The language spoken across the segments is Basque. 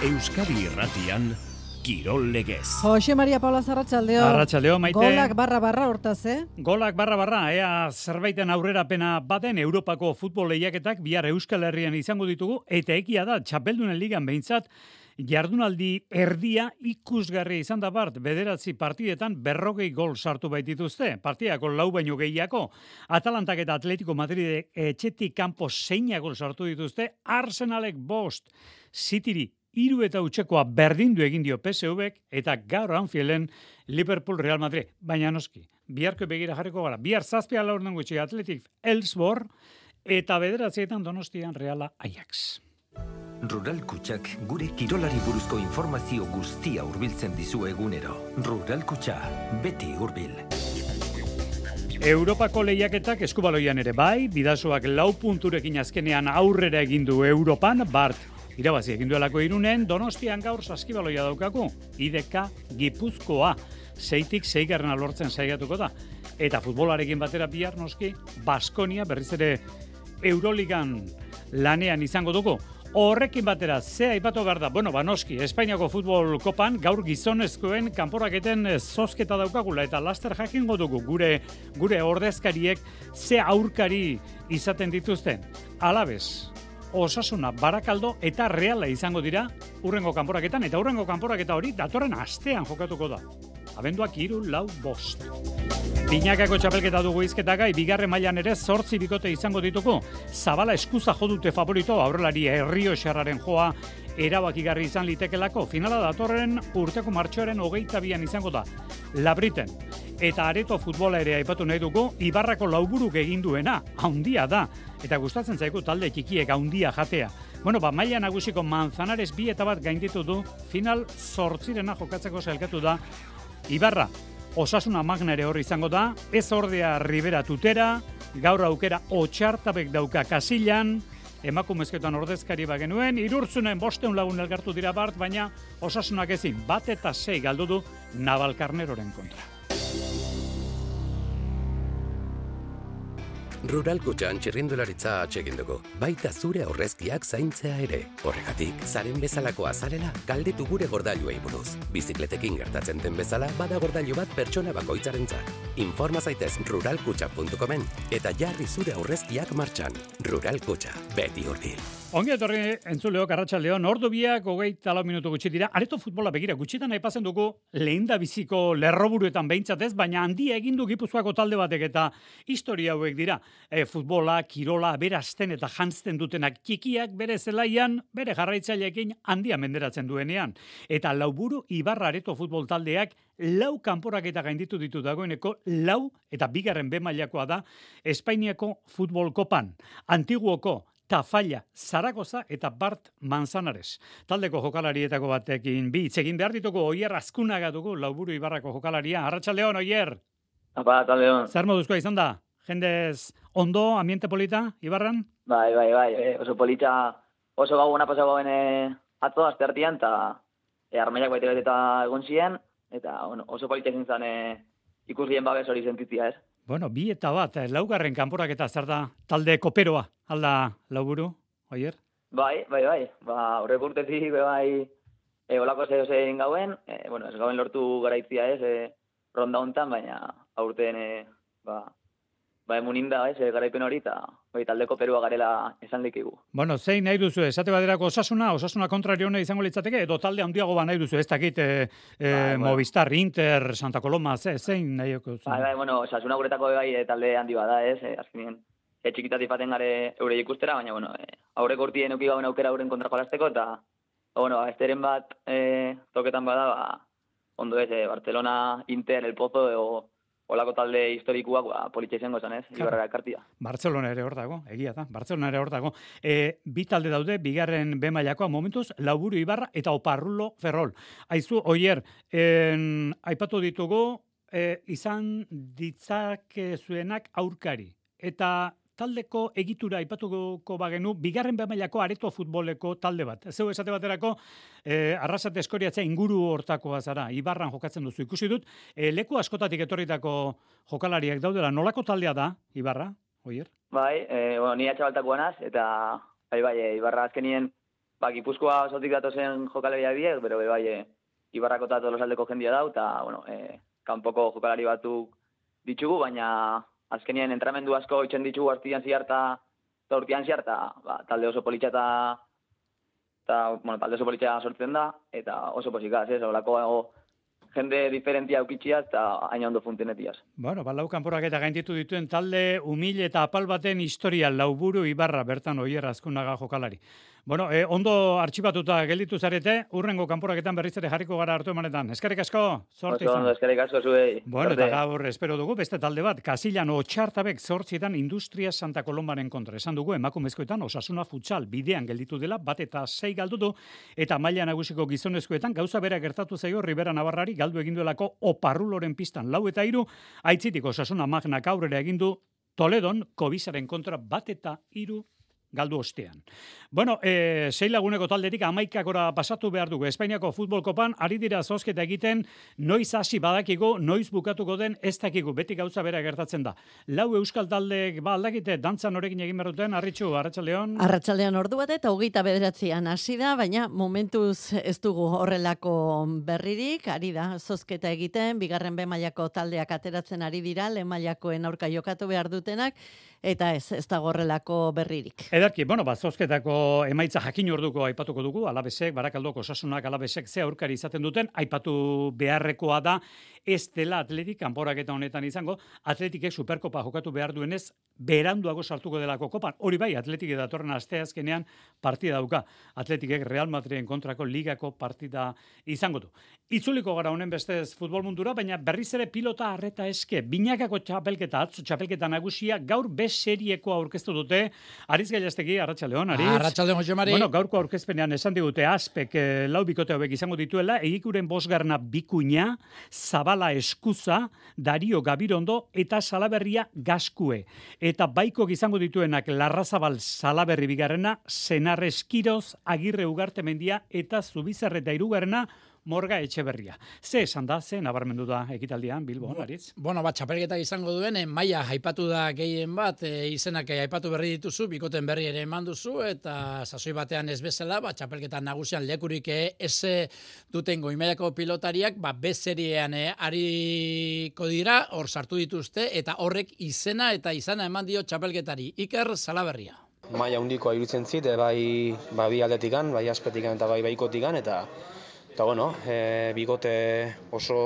Euskadi Irratian Kirol Legez. Jose Maria Paula Arratsaldeon. Arratsaldeon, Maite. Golak barra hortaz, Golak barra, ea zerbaiten aurrerapena baten Europako futbol lehiaketak bihar Euskal Herrian izango ditugu, eta egia da, Txapeldunen Ligan behintzat, jardunaldi erdia ikusgarri izan da bart, 9 partidetan 40 gol sartu baitituzte, partidako 4 baino gehiago. Atalantak eta Atletico Madridek etxetik kanpo 6 gol sartu dituzte, Arsenalek 5, Cityri 3 eta utxekoa berdindu egin dio PSV-ek, eta gaur Anfielden Liverpool Real Madrid. Baina noski, biharko begira jarriko gara. Bihar 7:00 gutxi Athletic Elfsborg, eta 9:00 Donostian Reala Ajax. Rural Kutxak gure kirolari buruzko informazio guztia hurbiltzen dizu egunero. Rural Kutxa, beti hurbil. Europako lehiaketak eskubaloian ere bai, Bidasoak 4 punturekin azkenean aurrera egin du Europan, Bart irabazi egin duelako Irunen, Donostian gaur saskibaloia daukagu, IDK Gipuzkoa, 6tik 6 lortzen saiatuko da. Eta futbolarekin batera bihar noski, Baskonia berriz ere Euroligan lanean izango dugu. Horrekin batera, ze aipatu behar da? Bueno, noski, Espainiako futbol kopan gaur gizonezkoen kanporaketen zozketa daukagula eta laster jakingo dugu gure ordezkariek ze aurkari izaten dituzten. Alabez, Osasuna, Barakaldo eta Reala izango dira hurrengo kanporaketan, eta hurrengo kanporaketa hori datorren astean jokatuko da. Abenduak 3, 4, 5. Binakako txapelketa dugu izketagai, bigarren mailan ere 8 bikote izango dituko. Zabala eskuza jodute favorito, aurrelari Errioxarraren joa erabakigarri izan litekelako. Finala datorren urteko martxoaren 22 izango da. Labriten. Eta areto futbola ere aipatu nahi dugu, Ibarrako lauburuk egin duena, haundia da. Eta gustatzen zaigu talde txikiek haundia jatea. Bueno, maila nagusiko Manzanares 2 eta 1 gainditu du, final 8 jokatzeko sailkatu da Ibarra. Osasuna Magna ere hor izango da, ez ordea Ribera Tutera, gaur aukera Otxartabek dauka Kasillan, emakumezketan ordezkari bagenuen, Irurtzunen 500 lagun elkartu dira Bart, baina Osasunak ezin 1 eta 6 galdu du Navalkarneroren kontra. Rural Kutxan txirrindularitza atsegin dugu, baita zure aurrezkiak zaintzea ere. Horregatik, zaren bezalako azarela, galdetu gure gordailuei buruz. Bizikletekin gertatzen den bezala, bada gordailu bat pertsona bakoitzarentzat. Informa zaitez ruralkutxa.comen eta jarri zure aurrezkiak martxan. Rural Kutxa, beti hurbil. Ongi etorri entzuleok Arratsaldeon, ordu biak 24 minutu gutxi dira. Areto futbola begira, gutxitan aipatzen dugu lehendabiziko lerroburuetan behintzat ez, baina handia egin du Gipuzkoako talde batek eta historia hauek dira. Futbola, kirola, berazten eta jantzten dutenak txikiak bere zelaian, bere jarraitzaileekin handia menderatzen duenean. Eta Lauburu Ibarra areto futbol taldeak 4 kanporaketa gainditu ditu dagoeneko, 4 eta bigarren B mailakoa da Espainiako futbol kopan. Antiguoko Tafalla, Zaragoza eta Bart Manzanares. Taldeko jokalarietako batekin hitz egin behar ditugu, Oier Azkunaga dugu, Lauburu Ibarrako jokalaria. Arratsaldeon, Oier. Arratsaldeon. Zer moduzkoa izan da? Jendez ondo, ambiente polita, Ibarran? Bai. Oso polita, oso gauena pasa gauen atzo, asteartean, eta armaiak baita eta egon ziren, eta oso polita izan zen ikusien babes hori sentitzia, ez? Bueno, 2 eta 1, 4. kanporaketa zer da talde koperoa, alda Lauburu, Oier? Bai. Horrek urtetik, olako zein gauen, ez gauen lortu garaitzia ez, ronda hontan, baina aurten, emuninda, garaipen hori, eta talde koperoa garela esan dikigu. Bueno, zein nahi duzu, esate baderako Osasuna kontrario hona izango litzateke, edo talde handiago nahi duzu, ez dakit Movistar, Inter, Santa Coloma, zein nahi duzu? Osasuna guretako talde handi bada, ez, azkenien, txikitatik paten gare eure ikustera, baina, aurreko urtien euki gauen aukera euren kontra jolasteko, eta, esteren bat toketan bada, ondo ez, Barcelona, Inter, El Pozo, olako talde historikoak politxe izango zen, ez? Ibarra ekartia. Barcelona ere hor dago, egia da. Barcelona ere hor dago. 2 talde daude, bigarren B mailakoa momentuz, Lauburu Ibarra eta Oparrulo Ferrol. Aizu, Oier, aipatu ditugu, izan ditzakezuenak aurkari. Eta taldeko egitura aipatuko bagenu, bigarren B mailako areto futboleko talde bat. Zeu esate baterako, Arrasate Eskoriatza inguru hortakoa zara, Ibarran jokatzen duzu. Ikusi dut, leku askotatik etorritako jokalariak daudela. Nolako taldea da, Ibarra, Oier? Bai, ni atxabaltakoa naz, eta Ibarra azkenien Gipuzkoa osotik datozen jokalariak diek, bero bai, Ibarrako eta Tolosaldeko jendia dau, eta, kanpoko jokalari batzuk ditugu, baina azkenien entramendu asko itxen ditugu artian ziarta, eta urtian ziarta, talde oso politxa talde oso politxa sortzen da, eta oso posikaz, olako jende diferentia aukitxiaz eta aina ondo funtzionetiaz. Bueno, lau kanporak eta gainditu dituen talde humil eta apal baten historia Lauburu Ibarra bertan Oier Azkunaga jokalari. Bueno, ondo artxibatuta gelditu zarete, urrengo kanporaketan berriz ere jarriko gara hartu emanetan. Eskerrik asko, zorte izan. Eskerrik asko zuei. Bueno, eta gaur espero dugu beste talde bat, Kasilan Otxartabek 8 Industria Santa Kolombaren kontra. Esan dugu emakumezkoetan Osasuna futsal bidean gelditu dela, 1-6 galdu du, eta maila nagusiko gizonezkoetan gauza bera gertatu zaio Ribera Navarrari galdu egin duelako Oparruloren pistan 4-3, aitzitik Osasuna Magnak aurrera egin du Toledon Kobisaren kontra 1-3 galdu ostean. Bueno, 6 laguneko taldetik 11 pasatu behar dugu. Espainiako futbol kopan ari dira zozketa egiten, noiz hasi badakigu, noiz bukatuko den ez dakigu, beti gauza bera gertatzen da. 4 euskal taldeek aldakite dantza norekin egin behar duten, Arritxu, Arratsaldeon. Arratsaldean ordu bat eta 29an hasi da, baina momentuz ez dugu horrelako berririk, ari da zozketa egiten, bigarren B mailako taldeak ateratzen ari dira, lehen mailakoen aurka jokatu behar dutenak, eta ez dago horrelako berririk. Edarki, bueno, zozketako emaitza jakin orduko aipatuko dugu, Alabesek, Barakaldoko Osasunak Alabesek ze aurkari izaten duten, aipatu beharrekoa da, ez dela Atletik kanporaketa honetan izango, Atletikek Superkopa jokatu behar duenez, beranduago sartuko delako kopan. Hori bai, Atletik datorren asteazkenean partida dauka. Atletikek Real Madriden kontrako ligako partida izango du. Itzuliko gara honen bestez futbol mundura, baina berriz ere pilota arreta eske. Binakako txapelketa, atzo txapelketa nagusia, gaur serieko aurkeztu dute. Ariz Gailastegi, Arratsaldeon, Ariz. Arratsaldeon, Jose Mari. Bueno, gaurko aurkezpenean esan digute Aspek 4 bikote hauek izango dituela, Egikuren 5. Bikuña, Zabala Eskuza, Dario Gabirondo eta Salaberria Gaskue. Eta baiko izango dituenak Larrazabal Salaberri 2, Senar Eskiroz, Agirre Ugartemendia eta Zubizarreta 3, Morga Etxeberria. Ze esan da, ze nabarmendu da ekitaldian, Bilbo, Aritz? Bueno, txapelketak izango duen, maila aipatu da gehien bat, izenak aipatu berri dituzu, bikoten berri ere eman duzu, eta sasoi batean ez bezala, txapelketan nagusian lekurik ez duten goi-mailako pilotariak, B-seriean ariko dira, hor sartu dituzte, eta horrek izena eta izana eman dio txapelketari. Iker Salaberria. Maila handikoa iruditzen zit, bai bi aldetikan, bai Aspetikan eta bai baikotikan, eta bueno, bigote oso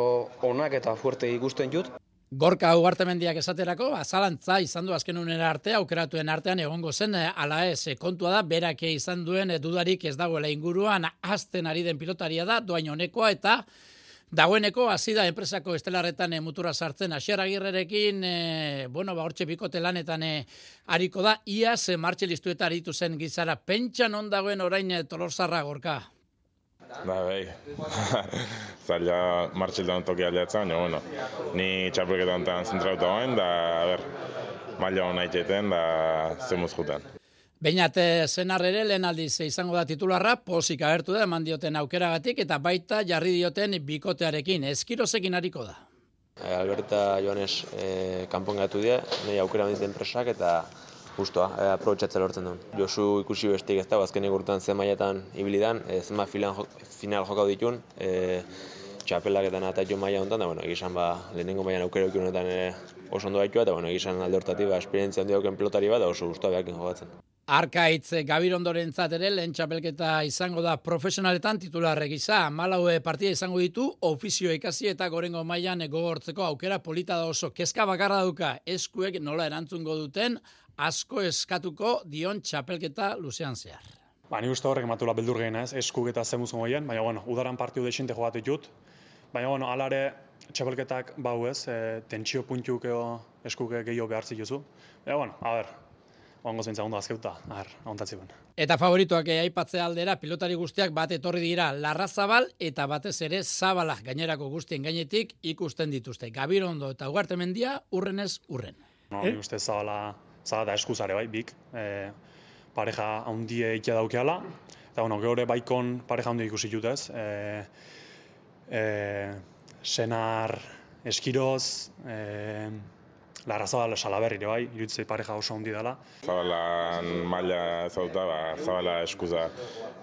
onak eta fuerte ikusten jut. Gorka Ugartemendiak esaterako, zalantza izan du azken unera arte, aukeratuen artean egongo zen, ala ez, kontua da, berak izan duen dudarik ez dagoela inguruan, azten ari den pilotaria da, doain honekoa, eta dagoeneko hasi da enpresako estelarretan mutura sartzen Asier Agirrerekin, hortxe bikote lanetan ariko da, iaz martxelistueta aritu zen gizara, pentsan on dagoen orain Tolosarra, Gorka. Bai, zaila martxildan toki aldeatzen, baina, ni txapelketan zentrauta goen, da, maila hona itxeten, da, zemuz juten. Beinat Senar ere lehen aldiz izango da titularra, pozik agertu da, eman dioten aukeragatik, eta baita jarri dioten bikotearekin, Eskirozekin hariko da. Alberta Joanes kanpon gatu dira, nahi aukera benditen presak, eta justoa, aprobetxatzen lortzen duen. Josu ikusi bestik ez da, azkenik urtean zen mailetan ibilidan, zenba final jokau ditun, txapelaketan eta jo maila honetan, da, egizan lehenengo mailan aukera honetan oso ondo baitua, eta egizan alde hortatik esperientzia handi dauken pilotari bat, da oso guztua behakin jokatzen. Arkaitz Gabirondorentzat ere lehen txapelketa izango da profesionaletan titularre gisa. 14 partida izango ditu, ofizio ikasi eta gorengo mailan gogortzeko aukera polita da oso. Kezka bakarra duka, eskuek nola erantzungo duten, asko eskatuko dion txapelketa luzean zehar. Ni uste horrek matula beldur gehiena ez, eskuk eta zemuzko goien, baina udaran partidu desinte jogatu ditut. Baina alare txapelketak bau ez, tentsio puntiuk eskuk gehiago behar zituzu. Baina, ongo zeintza ondo azkeuta, ontatziben. Eta favorituak aipatzea aldera, pilotari guztiak bat etorri dira Larrazabal eta batez ere Zabala gainerako guztien gainetik ikusten dituzte. Gabirondo eta Ugartemendia urrenez urren. Ni uste Zabala da eskuzare bai, bik. Pareja handie ikia daukeala. Eta geure baikon pareja handie ikusi jutez. Senar Eskiroz, Larrazabal Salaberri ere bai, iruditzei pareja oso handi dela. Zabalan maila ezauta, Zabala eskuza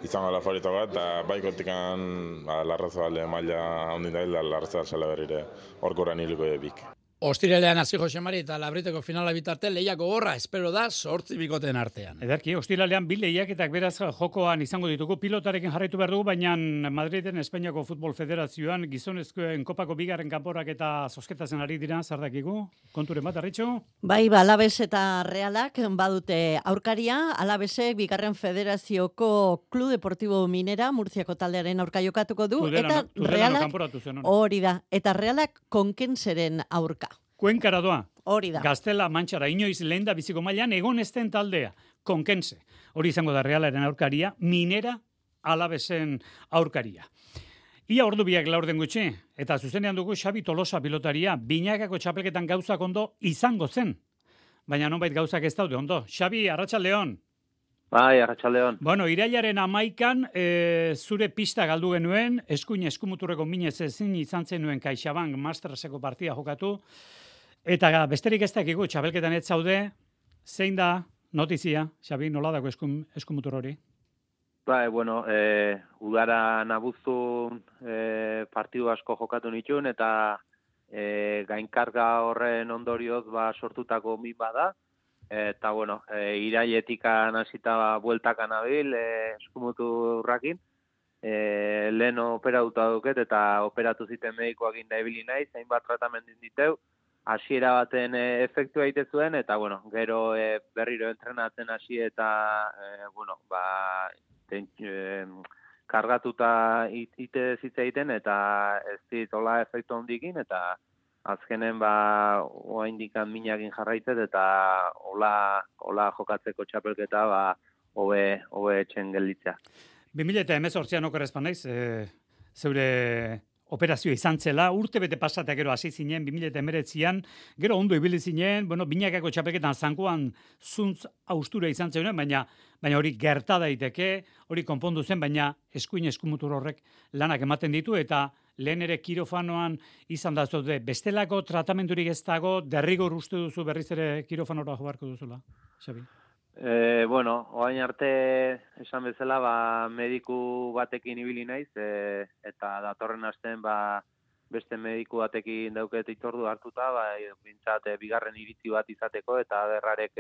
izango la favorito bat, eta baikotikan Larrazabal maila handi da, Larrazabal Salaberrire horkoran hiliko bik. Ostiralean hasi Jose Mari eta Labriteko finala bitarte lehiak gogorra espero da 8 bikoteen artean. Ederki, ostiralean bi lehiaketak beraz jokoan izango ditugu, pilotarekin jarraitu behar dugu, baina Madriden Espainiako Futbol Federazioan gizonezkoen kopako bigarren kanporak eta zozketatzen ari dira, zardakigu, konturen bat, Arritxo? Bai, Alabes eta Realak badute aurkaria, Alabesek bigarren federazioko Club Deportivo Minera, Murziako taldearen aurka jokatuko du, eta Realak, hori da, eta Realak Konkenseren aurka. Kuenkara doa. Hori da. Gaztela Mantxara inoiz lehen da biziko mailan egon esten taldea, Konkense. Hori izango da Realaren aurkaria, Minera Alabesen aurkaria. Ia ordu biak laurden gutxi, eta zuzenean dugu Xabi Tolosa pilotaria, binakako txapelketan gauzak ondo izango zen. Baina nonbait gauzak ez daude ondo. Xabi, arratsaldeon. Bai, arratsaldeon. Bueno, irailaren 11an zure pista galdu genuen, eskuin eskumuturreko minez ezin izan zenuen CaixaBank Masterseko partida jokatu, eta besterik ez dakigu, txapelketan ez zaude, zein da notizia, Xabi, nola dago eskumutur hori? Bai, bueno, udara nabuztun partidu asko jokatu nituen, eta gainkarga horren ondorioz sortutako min bada, eta bueno, irailetikan hasita bueltakan abil, eskumuturrakin, lehen operatuta duket, eta operatu ziten medikoak inda ibili naiz, hainbat tratamendin diteu, hasiera baten efektu egite zuen, eta bueno, gero berriro entrenatzen hasi eta bueno, kargatuta ite zitza egiten, eta ez ditola efektu handikin, eta azkenen oaindikan minakin jarraitzet, eta hola jokatzeko txapelketa hobe etxen gelditzea. 2018an okerrezpan naiz, zeure operazioa izan zela, urte bete pasatea gero hasi zinen, 2019an, gero ondo ibili zinen, bueno, binakako txapelketan zankoan zuntz austura izan zen, baina hori gerta daiteke, hori konpondu zen, baina eskuin eskumutur horrek lanak ematen ditu, eta lehen ere kirofanoan izan da zaude, bestelako tratamendurik ez dago, derrigor uste duzu berriz ere kirofanora jobarko duzula, Xabi? Bueno, oain arte esan bezala, mediku batekin ibili naiz, eta datorren astean beste mediku batekin dauket itzordu hartuta, bintzat bigarren iritzi bat izateko, eta berrarek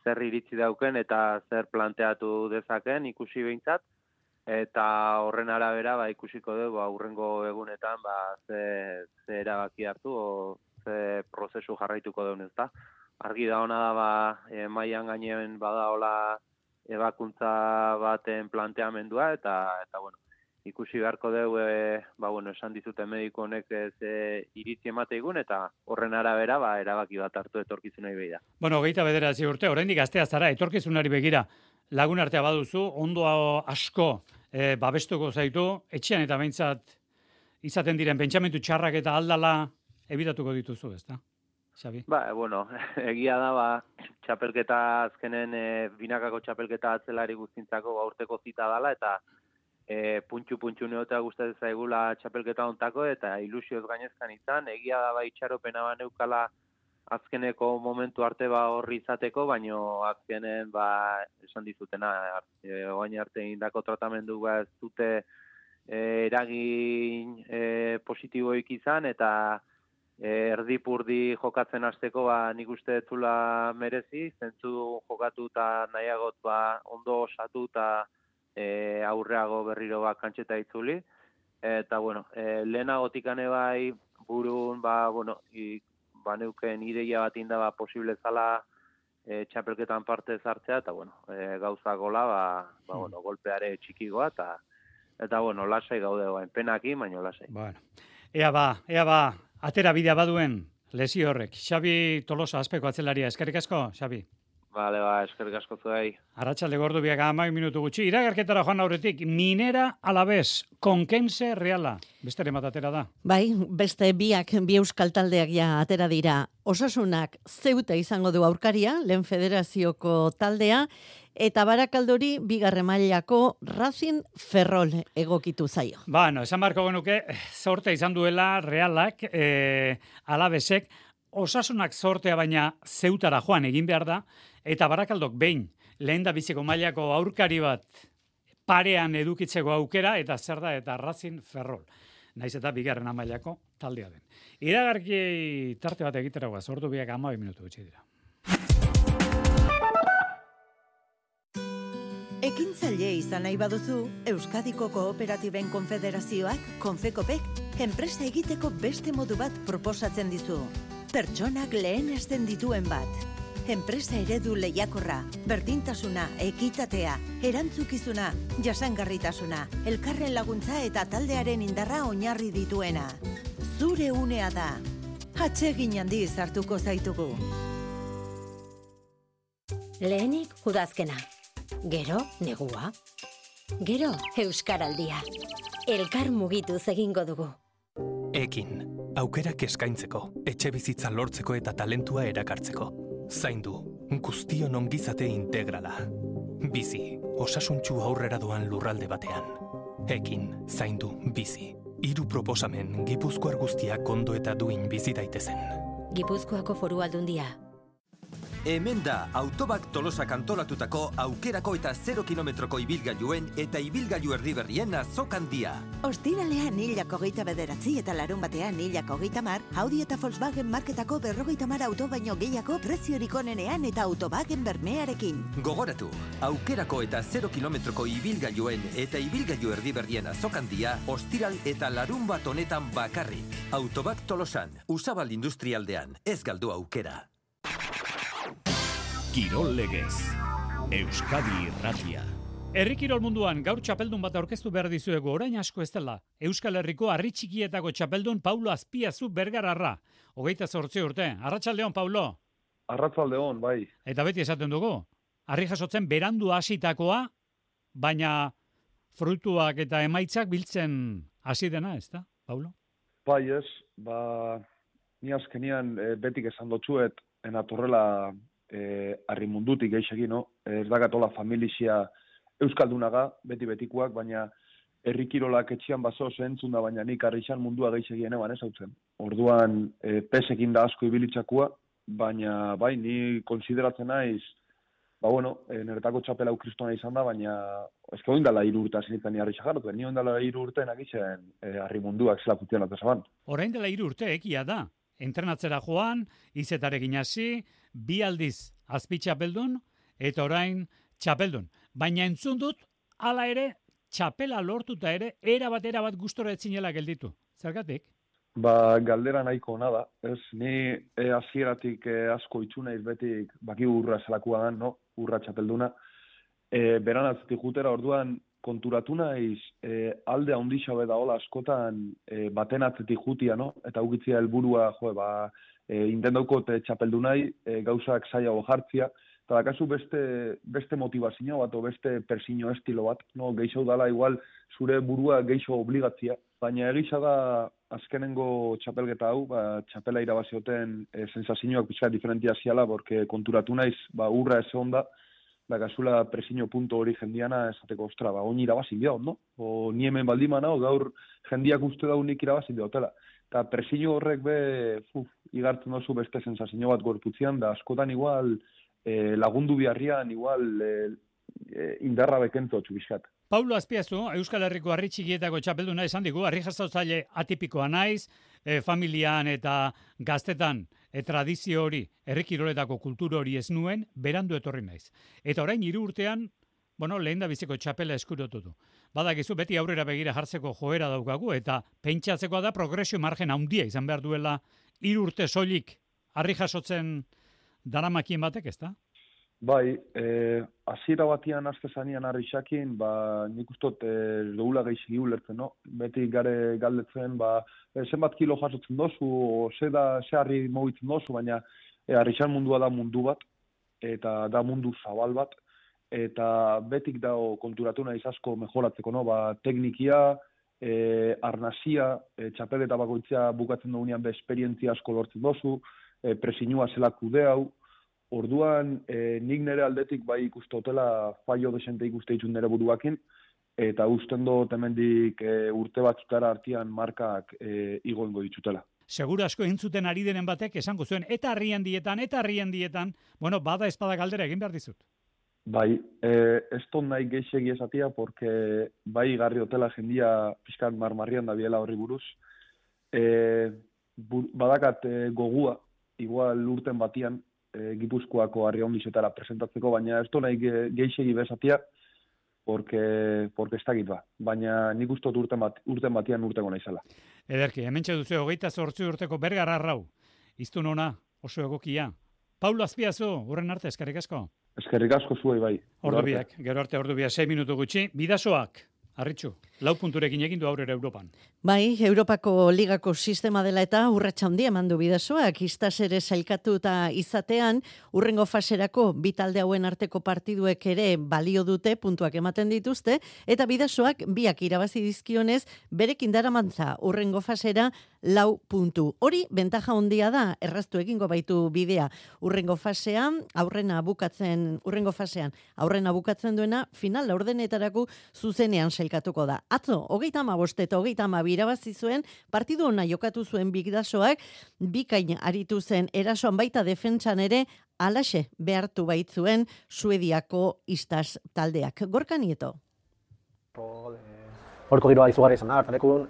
zer iritzi dauken, eta zer planteatu dezaken ikusi behintzat, eta horren arabera ikusiko dugu aurrengo egunetan ze erabaki hartu, o ze prozesu jarraituko duen ez da. Argi da hona da mailan gainean badaola ebakuntza baten planteamendua, eta bueno, ikusi beharko dugu, esan dizuten mediku honek iritzi emate igun, eta horren arabera erabaki bat hartu etorkizunari begira. Bueno, 29 urte, oraindik gaztea zara, etorkizunari begira, lagun artea baduzu, ondo asko babestuko zaitu, etxean eta behintzat izaten diren pentsamentu txarrak eta aldala ebitatuko dituzu, ezta? Xabi? Bueno, egia da, txapelketa azkenen, binakako txapelketa atzelari guztintzako urteko zita dala, eta puntxu neotea gustatzen zaigula txapelketa ontako, eta ilusioz gainezkan izan, egia da itxaropena neukala azkeneko momentu arte horri izateko, baino azkenen esan dizutena, oain arte indako tratamendu ez dute eragin positiboik izan, eta erdipurdi jokatzen hasteko nik uste zula merezi, zentzu jokatu eta nahiagot ondo osatu eta aurreago berriro kantxeta itzuli. Eta bueno, lehenagotikane burun, neuken ideia bat inda posible zala txapelketan parte zartzea, eta bueno, gauza gola, golpeare txikigoa, eta bueno, lasai gaude penaki, baino lasai. Bueno, ea ba, atera bidea baduen lesio horrek. Xabi Tolosa azpeko atzelaria, eskerrik asko, Xabi. Bale, eskerrik asko zuei. Arratsalde gordu biak 10 minutu gutxi. Iragarketara joan aurretik, Minera Alabes, Konkense Reala. Beste bat atera da. Bai, beste bi euskal taldeak atera dira. Osasunak Zeuta izango du aurkaria, lehen federazioko taldea, eta Barakaldori bigarren mailako Racing Ferrol egokitu zaio. Esan barko genuke, zorte izan duela Realak, Alabesek, Osasunak zortea baina Zeutara joan egin behar da, eta Barakaldok behin lehen da biziko mailako aurkari bat parean edukitzeko aukera, eta zer da, eta Racing Ferrol. Naiz eta bigarren mailako taldea den. Iragarki tarte bat egitera guaz, ordu biak 12 minutu gutxi dira. Ekintzaile izan nahi baduzu, Euskadiko Kooperatiben Konfederazioak, Konfekopek, enpresa egiteko beste modu bat proposatzen dizu. Pertsonak lehenesten dituen bat. Enpresa eredu lehiakorra, berdintasuna, ekitatea, erantzukizuna, jasangarritasuna, elkarren laguntza eta taldearen indarra oinarri dituena. Zure unea da. Atsegin handiz hartuko zaitugu. Lehenik udazkena. Gero, negua. Gero, euskaraldia. Elkar mugituz egingo dugu. Ekin, aukerak eskaintzeko, etxe bizitza lortzeko eta talentua erakartzeko. Zaindu, guztion ongizate integrala. Bizi, osasuntsu aurrera doan lurralde batean. Ekin, zaindu, bizi. 3 proposamen Gipuzkoar guztiak ondo eta duin bizi daitezen. Gipuzkoako Foru Aldundia. Hemen da Autobak Tolosak antolatutako aukerako eta 0 kilometroko ibilgailuen eta ibilgailu erdiberrien azokandia. Ostiralean 29 eta larun batean 30, Audi eta Volkswagen marketako 50 auto baino gehiago preziorik onenean eta Autobagen bermearekin. Gogoratu, aukerako eta 0 kilometroko ibilgailuen eta ibilgailu erdiberrien azokandia ostiral eta larun bat honetan bakarrik. Autobak Tolosan, Usabal Industrialdean, ez galdu aukera. Kirol legez, Euskadi Irratia. Herri kirol munduan gaur txapeldun bat aurkeztu behar dizuegu, orain asko ez dela. Euskal Herriko harri txikietako txapeldun Paulo Azpiazu Bergararra. 28 urte. Arratsaldeon, Paulo. Arratsaldeon, bai. Eta beti esaten dugu, harri jasotzen berandu hasitakoa, baina fruituak eta emaitzak biltzen hasi dena, ez da, Paulo? Bai ez, ni azkenian betik esan dotzuet, enatorrela harri mundutik geixegin, no? Ez dakatola familizia euskaldunaga, beti-betikoak, baina herri kirolak etxian baso entzun da, baina nik harrixan mundua geixegien eban ez hautzen. Orduan, pesekin da asko ibilitzakua, baina bai, ni konsideratzen naiz, niretako txapela kristona izan da, baina ezke oindala 3 urte azinitzen ni harri xajaratu, ni oindala 3 urte nagitzen harri munduak zelakutien atzaban. Orain dela 3 urte ekia da. Entrenatzera joan, izetarekin hasi, 2 aldiz azpi txapeldun, eta orain txapeldun. Baina entzun dut, hala ere, txapela lortuta ere, erabat gustora etzinela gelditu. Zergatik? Galdera nahiko ona da. Ez, ni hasieratik asko itxu naiz betik, baki urra zelakua dan, no? Urra txapelduna. Beran atzetik jutera, orduan, konturatu naiz, alde handixa beda hola askotan baten atzetik jutia, no? Eta ugitzia helburua, intendauko txapeldu nahi, gauzak zaiago jartzia, eta dakazu beste motivazio bat, o beste persino estilo bat, no? Geixo dala igual zure burua geixo obligatzia, baina egisa da azkenengo txapelgeta hau, txapela irabazioten sensazioak pixka diferentia ziala, porque konturatu naiz, urra ez onda, dakazula presiño punto hori jendiana esateko, ostra, oin irabazin behot, no? O ni hemen baldimana, gaur jendiak uste da unik irabazin behotela. Eta presiño horrek igartzen dozu beste sensazio bat gorputzean, da askotan igual lagundu biharrian, igual indarra bekento txubizkat. Paulo Azpiazu, Euskal Herriko harri txikietako txapelduna esan digu, harri jaztautzaile atipikoa naiz, familian eta gaztetan tradizio hori, herri kiroletako kultura hori ez nuen, berandu etorri naiz. Eta orain 3 urtean, lehen da biziko txapela eskurotu du. Badakizu, beti aurrera begira jartzeko joera daukagu, eta pentsatzekoa da progresio margen handia izan behar duela 3 urte soilik harri jasotzen daramakien batek, ez da? Bai, hasiera batian aztezanian harri xakin, nik ustot doula gehiagi ulertzen, no? Beti gare galdetzen, zenbat kilo jasotzen dozu, ze harri mogitzen dozu, baina harrixan mundua da mundu bat, eta da mundu zabal bat, eta betik dago konturatu naiz asko mejoratzeko, no? Teknikia, arnazia, txapeleta bakoitzea bukatzen dugunean esperientzia asko lortzen dozu, presinua zela kude hau. Orduan, nik nire aldetik bai ikuste hotela fallo desente ikuste ditun nire buruakin, eta usten dut hemendik urte batzutara artean markak igo ditutela. Segura asko entzuten ari denen batek esango zuen, eta harrien dietan, bueno, bada espada galdera egin behar dizut. Bai, ez ton nahi geixegi esatia, porque bai garri hotela jendia pixkan marmarrian da biela horri buruz. Badakat gogua, igual urten batian, Gipuzkoako harri hondizetara presentatzeko, baina ez ton nahi geixegi bezatia, porque ez dakit ba. Baina nik ustot urten batian urtengo naizela. Ederki, hementxe duzu 28 urteko Bergar Arrau. Iztun ona, oso egokia. Paulo Azpiazu, urren arte, eskerrik asko. Eskerrik asko zuei bai. Gero arte ordu biak, 6 minutu gutxi. Bidasoak, Arritxu, 4 punturekin egin du aurrera Europan. Bai, Europako ligako sistema dela eta urratsa handia eman du Bidasoak, istas ere sailkatuta izatean, urrengo faserako bi talde hauen arteko partiduek ere balio dute, puntuak ematen dituzte, eta Bidasoak biak irabazi dizkionez, berekin daramantza urrengo fasera 4 puntu. Hori, bentaja handia da, erraztu egingo baitu bidea. Urrengo fasean aurrena bukatzen duena, final laurdenetarako zuzenean sailkatuko da. Atzo, 35 eta 32 irabazi zuen, partidu ona jokatu zuen Bidasoak, bikain aritu zen erasoan baita defentsan ere, alaxe behartu baitzuen Suediako istas taldeak. Gorka Nieto. Horko giroa izugarri izan da, hartalekun,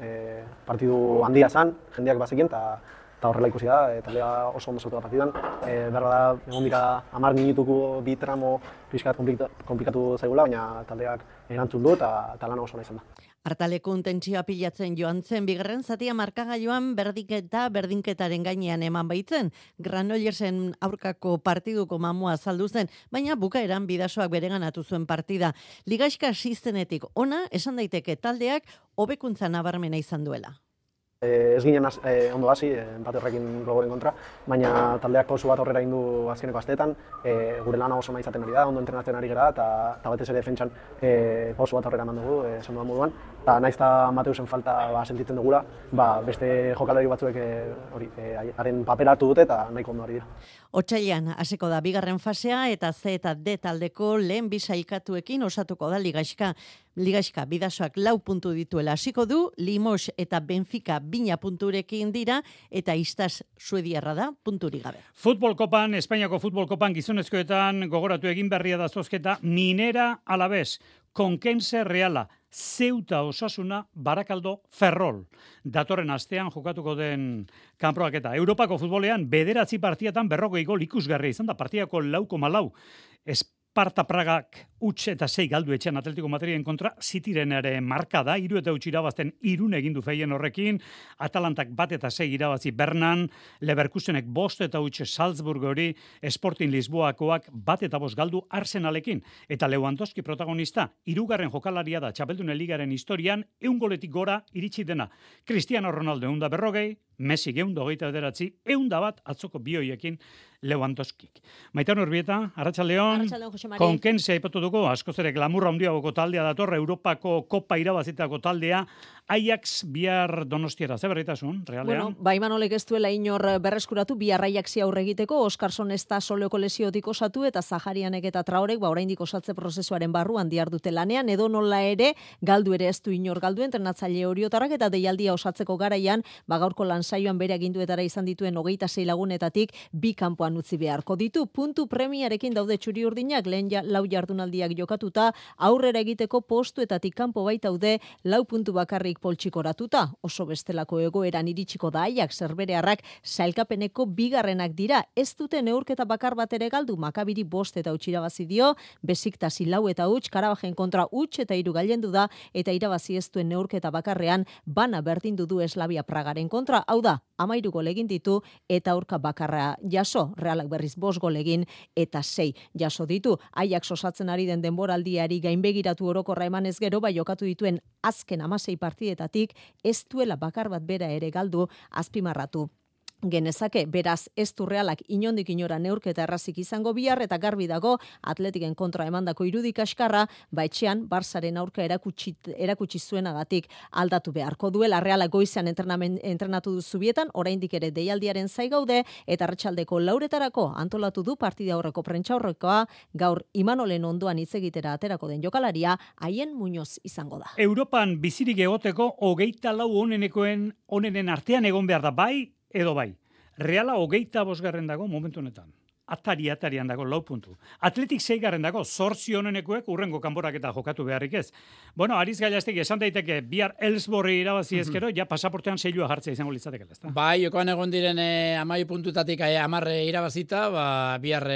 partidu handia zan, jendeak bazekien, eta horrela ikusi da, taldea oso ondo sortu da partidan. Berra da, egon dira 10 minutuko bi tramo pixkat komplikatu zaigula, baina taldeak erantzun du eta lan oso nahi izan da. Hartalekun tentsioa pilatzen joan zen, bigarren zatia markagailuan berdinketaren gainean eman baitzen. Granollersen aurkako partiduko mamua azaldu zen, baina bukaeran Bidasoak bereganatu zuen partida. Ligaxka sistenetik ona, esan daiteke taldeak hobekuntza nabarmena izan duela. Ez ginen ondo hasi, empate horrekin Globoren kontra, baina taldeak pausu bat horrera indu azkeneko asteetan, gure lana oso nahi izaten ari da, ondo entrenatzen ari gara, eta batez ere defentsan pausu bat horrera eman dugu, esan dudan moduan, eta nahiz eta Mateusen falta sentitzen dugula, beste jokalari batzuek haren papera hartu dute eta nahiko ondo ari dira. Otsailean hasiko da bigarren fasea eta C eta D taldeko lehen bi sailkatuekin osatuko da Ligaxka. Bidasoak 4 puntu dituela hasiko du, Limos eta Benfica 2 punturekin dira eta istas suediarra da punturik gabe. Futbol Kopan, Espainiako Futbol Kopan gizonezkoetan gogoratu egin berria da zozketa Minera Alavés, Conquense Reala, Ceuta Osasuna, Barakaldo Ferrol. Datorren astean jokatuko den kanporaketa. Europako futbolean 9 partietan 40 gol ikusgarria izan da partidako 4,4. Esparta Pragak huts eta 6 galdu etxean Atletico Madriden kontra, Cityren ere marka da, 3 eta 8 irabazten Irun egin du feien horrekin, Atalantak 1 eta 6 irabazi Bernan, Leverkusenek 5 eta 8 Salzburg hori, Sporting Lisboakoak 1 eta 5 galdu Arsenalekin, eta Lewandowski protagonista, 3. jokalaria da Txapeldunen Ligaren historian, 100 goletik gora iritsi dena. Cristiano Ronaldo 140, Messi 129, 101 atzoko bioiekin Lewandowskik. Maitan Urbieta, Arratsaldeon, Conquense aipatu dugu, askoz ere glamurra handiagoko taldea dator, Europako Kopa irabazitako taldea, Ajax bihar Donostiara, ze berritasun, realean? Bueno, Imanolek ez duela inor berreskuratu, bihar Ajaxi aurre egiteko, Oskarson ez da soleoko lesiotik osatu, eta Zaharianek eta Traorek, oraindik osatze prozesuaren barruan dihardute lanean, edo nola ere, galdu ere ez du inor galdu, entrenatzaile Oriotarrak eta deialdia osatzeko garaian, gaurko lansaioan bere aginduetara izan dituen 26 lagunetatik, 2 kanpoan utzi beharko ditu. Puntu premiarekin daude txuri-urdinak, lehen 4 jardunaldiak jokatuta, aurrera egiteko postuetatik kanpo baitaude 4 puntu bakarrik poltsikoratuta. Oso bestelako egoeran iritsiko da Ajax, zerberearrak sailkapeneko 2. dira. Ez dute neurketa bakar bat ere galdu, Makabiri 5 eta 8 irabazi dio, Besiktas 4 eta 8, Karabajen kontra 8 eta 3 gailendu da, eta irabazi ez duen neurketa bakarrean bana berdindu du Slavia Pragaren kontra. Hau da, 13 gol egin ditu eta aurka bakarra jaso, Realak berriz 5 gol egin eta 6 jaso ditu. Ajax osatzen ari den denboraldiari gainbegiratu orokorra emanez gero, bai jokatu dituen azken 16 partidetatik ez duela bakar bat bera ere galdu azpimarratu genezake, beraz ez du Realak inondik inora neurketa errazik izango bihar, eta garbi dago Atletiken kontra emandako irudik askarra, etxean Barsaren aurka erakutsi zuenagatik aldatu beharko duela. Realak goizean entrenatu du Zubietan, oraindik ere deialdiaren zai gaude, eta arratsaldeko 4etarako antolatu du partida horreko prentsaurrekoa, gaur Imanolen ondoan hitz egitera aterako den jokalaria, Haien Muñoz izango da. Europan bizirik egoteko 24 onenen artean egon behar da, bai edo bai. Reala 25. dago momentu honetan. Atarian dago 4 puntu. Atletik 6. dago 8 honenekoek urrengo kanporaketa jokatu beharrik ez. Bueno, Ariz Gailaztek esan daiteke bihar Elsborri irabazi ezkero, ja pasaportean seilua jartzea izango litzatekela, ezta? Bai, jokoan egon diren 12 puntutatik 10 irabazita, bihar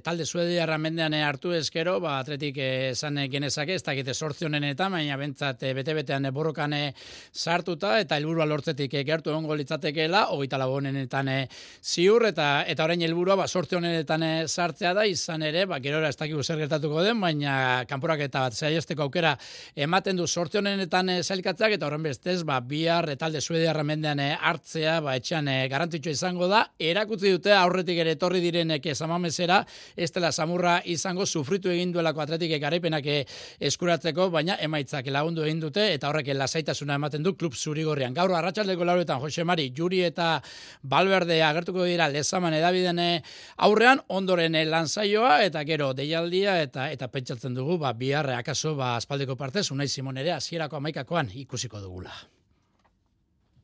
talde suediarra mendean hartu ezkero, Atletik esan genezake, ez dakite 8 honenetan, baina bentsat bete-betean borrokan sartuta eta helburua lortzetik gertu egongo litzatekeela, 24 honenetan ziur eta orain helburua 8 honenetan sartzea da, izan ere, gerora ez dakigu zer gertatuko den, baina kanporaketa bat saihesteko aukera ematen du 8 honenetan sailkatzeak, eta horren bestez, bihar talde suediarra mendean hartzea, etxean garrantzitsua izango da, erakutzi dute aurretik ere etorri direnek samamesera, ez dela samurra izango sufritu egin duelako Atletik garaipenak eskuratzeko, baina emaitzak lagundu egin dute, eta horrek lasaitasuna ematen du klub zurigorrian. Gaur arratsaldeko 4etan Jose Mari, Juri eta Valverde agertuko dira Lezaman edabideen aurrean, ondoren lansaioa eta gero deialdia eta pentsatzen dugu bihar akaso aspaldiko partez Unai Simon ere hasierako 11koan ikusiko dugula.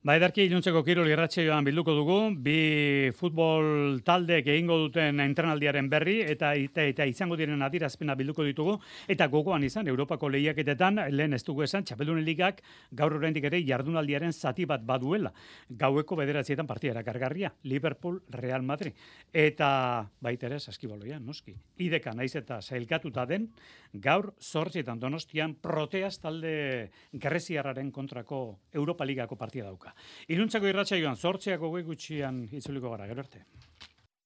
Edarki iluntzeko kirol irratsaioan bilduko dugu, bi futbol taldeek egingo duten entrenaldiaren berri eta izango diren adierazpena bilduko ditugu, eta gogoan izan Europako lehiaketetan lehen ez dugu esan Txapeldunen Ligak gaur oraindik ere jardunaldiaren zati bat baduela. Gaueko 9 partida erakargarria, Liverpool Real Madrid. Eta baita ere saskibaloian, noski. Ideka naiz eta sailkatuta den, gaur 8 Donostian Proteas talde greziarraren kontrako Europa Ligako partida dauka. Iluntzako irratsaioan 8 gutxian itzuliko gara, gero arte.